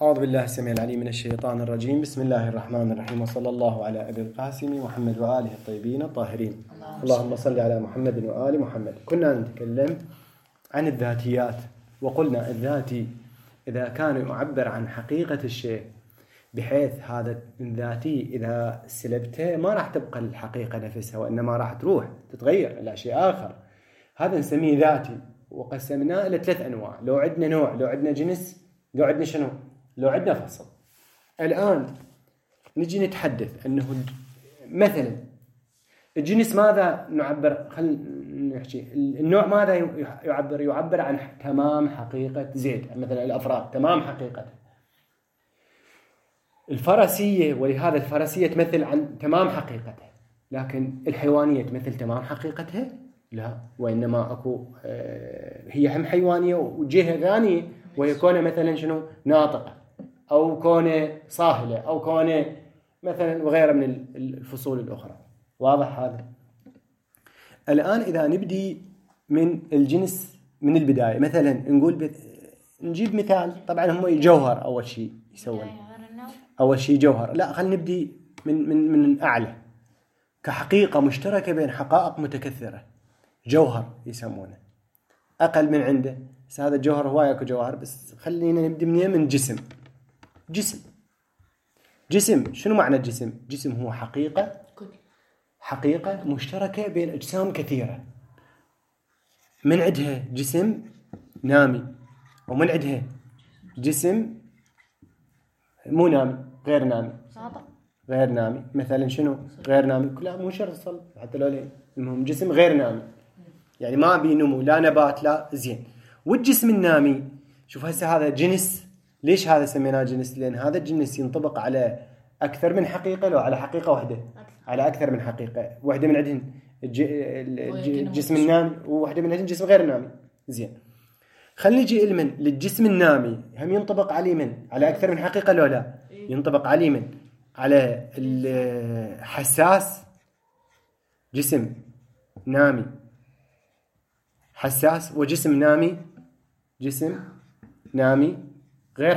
أعوذ بالله السميع العليم من الشيطان الرجيم. بسم الله الرحمن الرحيم، وصلى الله على أبي القاسم محمد وآله الطيبين الطاهرين. اللهم صل على محمد وآل محمد. كنا نتكلم عن الذاتيات، وقلنا الذاتي إذا كان يعبر عن حقيقة الشيء بحيث هذا الذاتي إذا سلبته ما راح تبقى الحقيقة نفسها، وإنما راح تروح تتغير إلى شيء آخر، هذا نسميه ذاتي. وقسمناه إلى 3 أنواع. لو عندنا نوع، لو عندنا جنس، لو عندنا شنو؟ لو عندنا فصل. الآن نجي نتحدث أنه مثلا الجنس ماذا نعبر؟ خلينا نحكي النوع ماذا يعبر عن تمام حقيقة زيد، مثلا الأفراد تمام حقيقته. الفرسية، ولهذا الفرسية تمثل عن تمام حقيقتها، لكن الحيوانية تمثل تمام حقيقتها؟ لا، وإنما أكو هي هم حيوانية وجهة ثانية، وهي كونه مثلا شنو؟ ناطقة، أو كونه صاهلة، أو كونه مثلا وغيره من الفصول الأخرى. واضح هذا؟ الآن إذا نبدي من الجنس من البداية، مثلا نقول نجيب مثال. طبعا هم جوهر أول شيء يسوون، أول شيء جوهر. لا، خلينا نبدي من أعلى، كحقيقة مشتركة بين حقائق متكثرة، جوهر يسمونه. أقل من عنده، بس هذا الجوهر هواية أكو جوهر، بس خلينا نبدي من جسم. جسم شنو معنى الجسم؟ جسم هو حقيقة مشتركة بين أجسام كثيرة. من عندها جسم نامي، ومن عندها جسم مو نامي، غير نامي. غير نامي مثلا شنو؟ غير نامي كلها مو شرط صل حتى لو ليه، المهم جسم غير نامي، يعني ما بينمو لا نبات لا زين. والجسم النامي، شوف هسه هذا جنس. ليش هذا سميناه جنس؟ لأن هذا الجنس ينطبق على أكثر من حقيقة، لو على حقيقة واحدة، على أكثر من حقيقة. واحدة من عندهن الجسم النامي، وواحدة من عندهن جسم غير نامي. زين، خلينا نجي للجسم النامي، هم ينطبق عليه على أكثر من حقيقة لو لا؟ ينطبق عليه على الحساس. جسم نامي حساس، وجسم نامي جسم نامي غير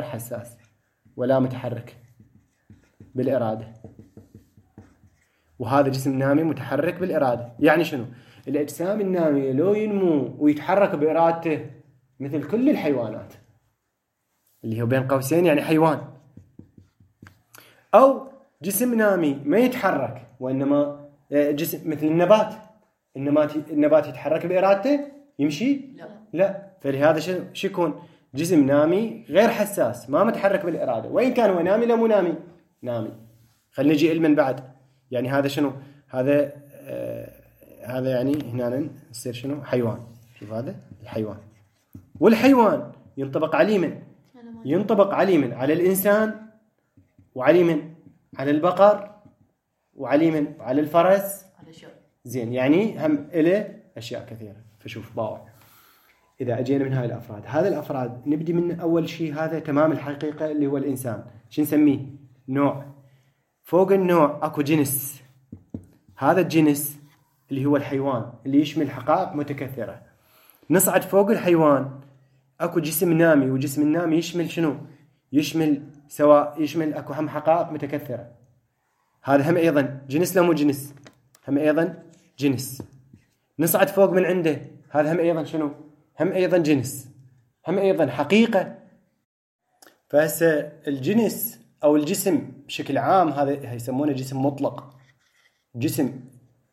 حساس ولا متحرك بالإرادة. وهذا جسم نامي متحرك بالإرادة. يعني شنو؟ الأجسام النامية لو ينمو ويتحرك بإرادته مثل كل الحيوانات، اللي هو بين قوسين يعني حيوان. أو جسم نامي ما يتحرك، وإنما جسم مثل النبات يتحرك بإرادته يمشي؟ لا. فلهذا شو يكون؟ جسم نامي غير حساس، ما متحرك بالإرادة، وإن كان هو نامي لا مو نامي. خلينا نجي من بعد. يعني هذا شنو؟ هذا يعني هنا نصير شنو؟ حيوان. شوف هذا الحيوان. والحيوان ينطبق عليه ينطبق عليه على الإنسان، وعليه على البقر، وعليه على الفرس. زين، يعني هم إله أشياء كثيرة. فشوف باوع، إذا أجينا من هاي الأفراد، هذا الأفراد نبدي من أول شيء. هذا تمام الحقيقة اللي هو الإنسان. شو نسميه؟ نوع. فوق النوع أكو جنس. هذا الجنس اللي هو الحيوان، اللي يشمل حقائق متكثرة. نصعد فوق الحيوان، أكو جسم نامي، وجسم النامي يشمل شنو؟ يشمل أكو هم حقائق متكثرة. هذا هم أيضا جنس لا مو جنس؟ هم أيضا جنس. نصعد فوق من عنده، هذا هم أيضا شنو؟ هم أيضا جنس، هم أيضا حقيقة. فهسه الجنس أو الجسم بشكل عام هذا يسمونه جسم مطلق. جسم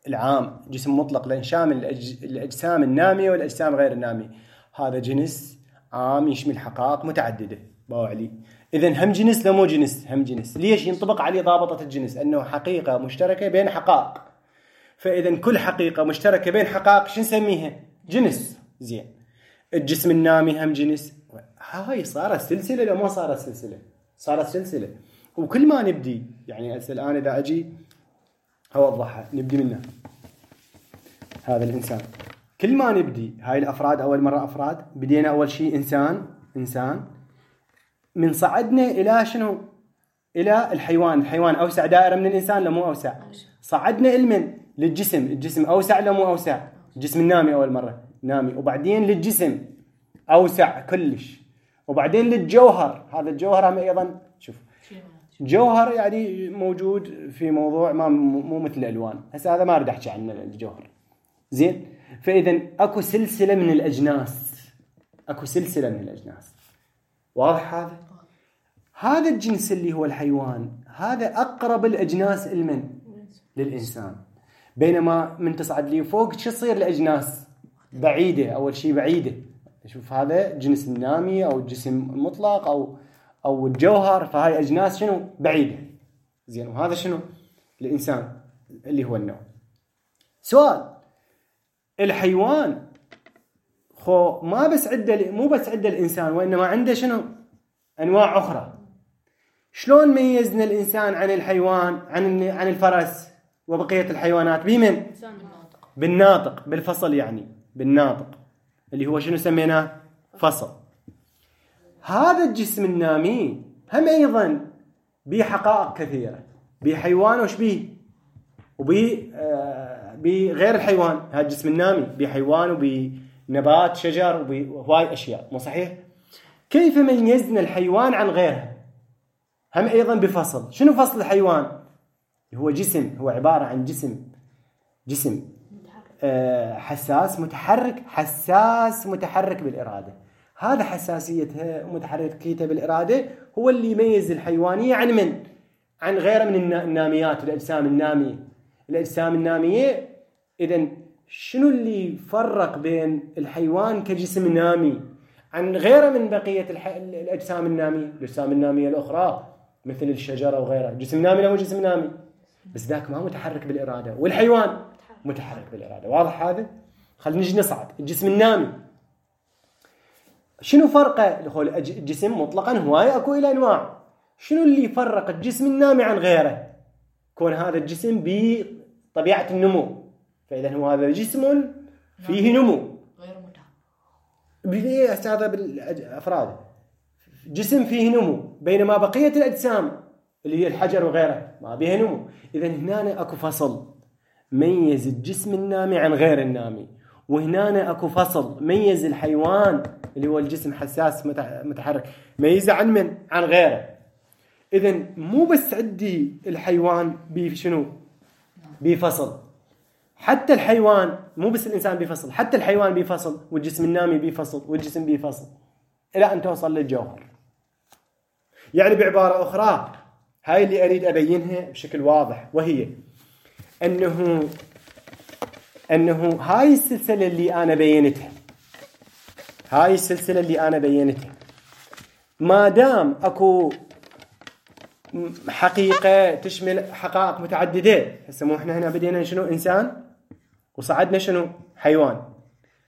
العام جسم مطلق، لأن شامل الأجسام النامية والأجسام غير النامية. هذا جنس عام يشمل حقائق متعددة. باوعلي، إذن هم جنس لا مو جنس؟ هم جنس. ليش؟ ينطبق عليه ضابطة الجنس، أنه حقيقة مشتركة بين حقائق. فإذن كل حقيقة مشتركة بين حقائق شو نسميها؟ جنس. زين، الجسم النامي هم جنس. هاي صارت سلسلة لو ما صارت سلسلة؟ صارت سلسلة. وكل ما نبدي، يعني الآن إذا أجي أوضحها، نبدي منه هذا الإنسان. كل ما نبدي هاي الأفراد، أول مرة أفراد بدينا أول شيء إنسان. من صعدنا إلى شنو؟ إلى الحيوان أوسع دائرة من الإنسان لو مو أوسع؟ صعدنا للجسم. الجسم أوسع لو مو أوسع؟ الجسم النامي أول مرة نامي، وبعدين للجسم أوسع كلش، وبعدين للجوهر. هذا الجوهر هم أيضا شوف جوهر يعني موجود في موضوع ما مو مثل الألوان. هسه هذا ما أريد أحكي عنه الجوهر. زين. فإذا أكو سلسلة من الأجناس. أكو سلسلة من الأجناس. واضح هذا؟ هذا الجنس اللي هو الحيوان هذا أقرب الأجناس للإنسان. بينما من تصعد لي فوق شو تصير الأجناس بعيدة. أول شيء بعيدة. شوف هذا جنس النامي أو الجسم المطلق أو الجوهر. فهاي أجناس شنو بعيدة. زين. وهذا شنو الإنسان اللي هو النوع. سؤال. الحيوان خو ما بس عنده مو بس عنده الإنسان وإنما عنده شنو أنواع أخرى. شلون ميزنا الإنسان عن الحيوان عن الفرس وبقية الحيوانات؟ بمن؟ بالناطق. بالفصل يعني بالناطق اللي هو شنو سميناه فصل. هذا الجسم النامي هم أيضا به حقائق كثيرة. بحيوان وش به بغير الحيوان. هذا الجسم النامي بحيوان وبنبات شجر وهواي أشياء. مو صحيح؟ كيف ميزنا الحيوان عن غيرها؟ هم أيضا بفصل. شنو فصل الحيوان؟ هو جسم. هو عبارة عن جسم حساس متحرك بالإرادة. هذا حساسيتها ومتحركيتها بالإرادة هو اللي يميز الحيوانية عن غيره من الناميات والأجسام النامية. الأجسام النامية إذن شنو اللي فرق بين الحيوان كجسم نامي عن غيره من بقية الأجسام النامية؟ الأجسام النامية الأخرى مثل الشجرة وغيرها جسم نامي له جسم نامي بس ذاك ما متحرك بالإرادة. والحيوان متحرك بالإرادة. واضح هذا؟ خلينا نجي نصعد. الجسم النامي شنو فرقه؟ الجسم مطلقا هواية أكو إلى أنواع. شنو اللي يفرق الجسم النامي عن غيره؟ كون هذا الجسم بطبيعة النمو. فإذا هو هذا جسم فيه نمو غير متحرك. هذا بالأفراد جسم فيه نمو. بينما بقية الأجسام اللي هي الحجر وغيره ما بيها نمو. إذا هنا أكو فصل ميز الجسم النامي عن غير النامي. وهنا أكو فصل ميز الحيوان اللي هو الجسم حساس متحرك ميزه عن غيره. إذن مو بس عندي الحيوان بشنو بفصل. حتى الحيوان مو بس الإنسان بفصل. حتى الحيوان بفصل والجسم النامي بفصل والجسم بفصل إلى أن توصل للجوهر. يعني بعبارة أخرى هاي اللي أريد أبينها بشكل واضح. وهي أنه هاي السلسلة اللي أنا بينتها ما دام أكو حقيقة تشمل حقائق متعددة. هسه مو إحنا هنا بدينا شنو إنسان وصعدنا شنو حيوان.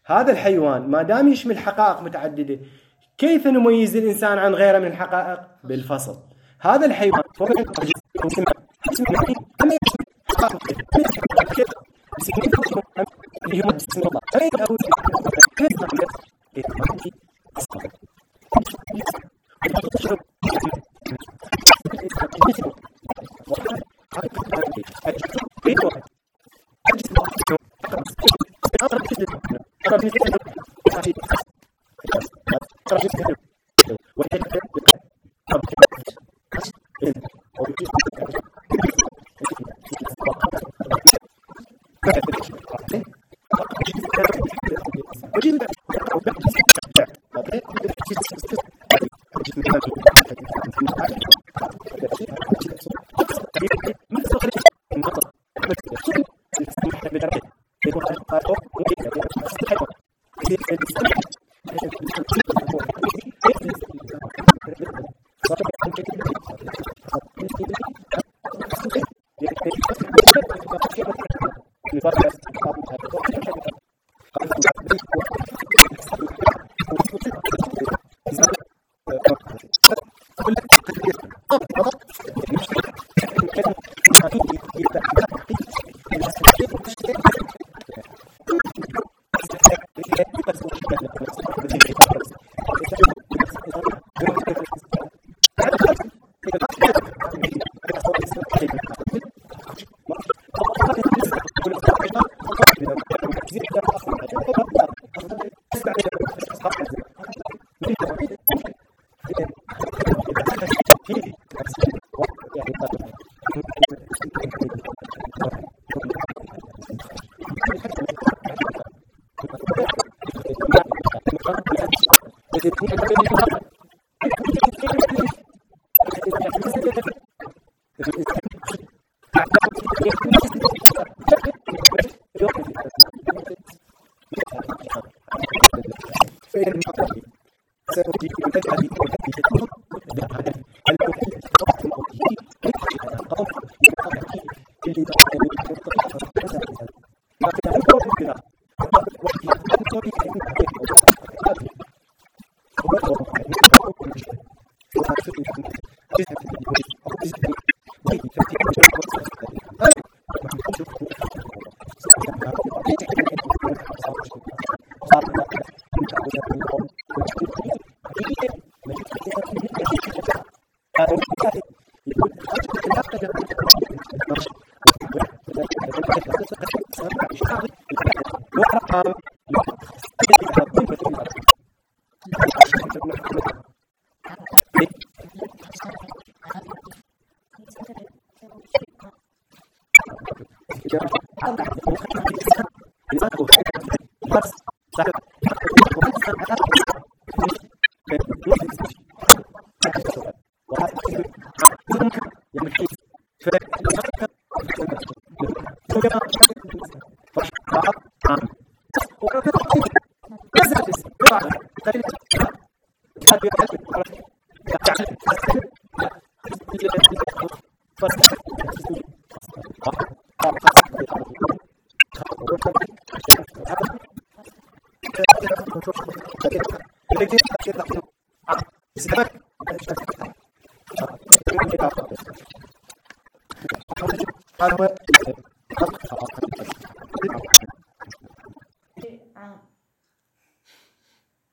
هذا الحيوان ما دام يشمل حقائق متعددة كيف نميز الإنسان عن غيره من الحقائق؟ بالفصل. هذا الحيوان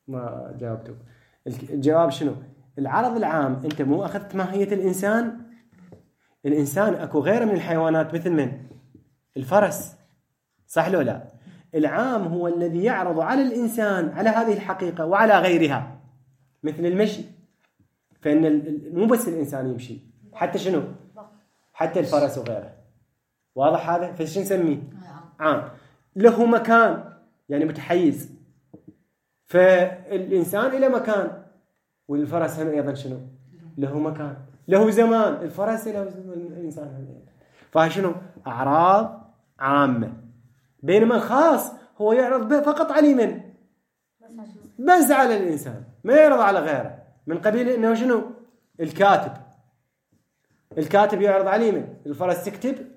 ما جاوبته. الجواب شنو؟ العرض العام انت مو اخذت ماهية الانسان. الانسان اكو غيره من الحيوانات مثل من؟ الفرس، صح لو لا؟ العام هو الذي يعرض على الانسان على هذه الحقيقة وعلى غيرها، مثل المشي. فان مو بس الانسان يمشي، حتى شنو؟ حتى الفرس وغيره. واضح هذا؟ فايش نسميه؟ عام. له مكان يعني متحيز، فالإنسان له مكان، والفرس هم أيضا شنو؟ له مكان. له زمان، الفرس له زمان، الإنسان هم. فشنو؟ أعراض عامة. بينما الخاص هو يعرض فقط على من؟ بس على الإنسان، ما يعرض على غيره. من قبيل إنه شنو؟ الكاتب يعرض على من؟ الفرس يكتب؟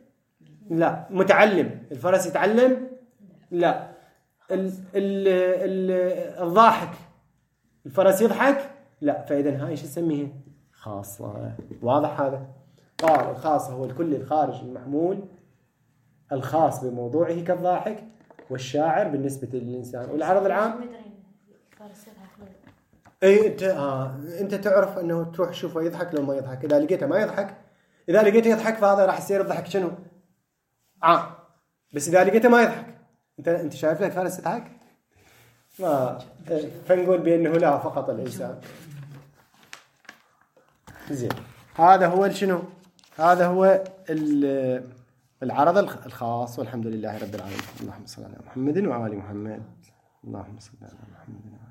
لا. متعلم، الفرس يتعلم؟ لا. الضاحك، الفرس يضحك؟ لا. فإذا هاي شو نسميها؟ خاصة. واضح هذا؟ قال الخاص هو الكل الخارج المحمول، الخاص بموضوعه كالضاحك، والشاعر بالنسبة للإنسان. والعرض العام اي انت تعرف انه تروح تشوفه يضحك لو ما يضحك. اذا لقيته ما يضحك، اذا لقيته يضحك فهذا راح يصير الضحك شنو؟ عام. بس اذا لقيته ما يضحك، انت شايف له الفارس يضحك؟ ما فنقول بانه لا فقط الانسان. زين، هذا هو شنو؟ هذا هو العرض الخاص. والحمد لله رب العالمين. اللهم صل على محمد وآل محمد. اللهم صل على محمد.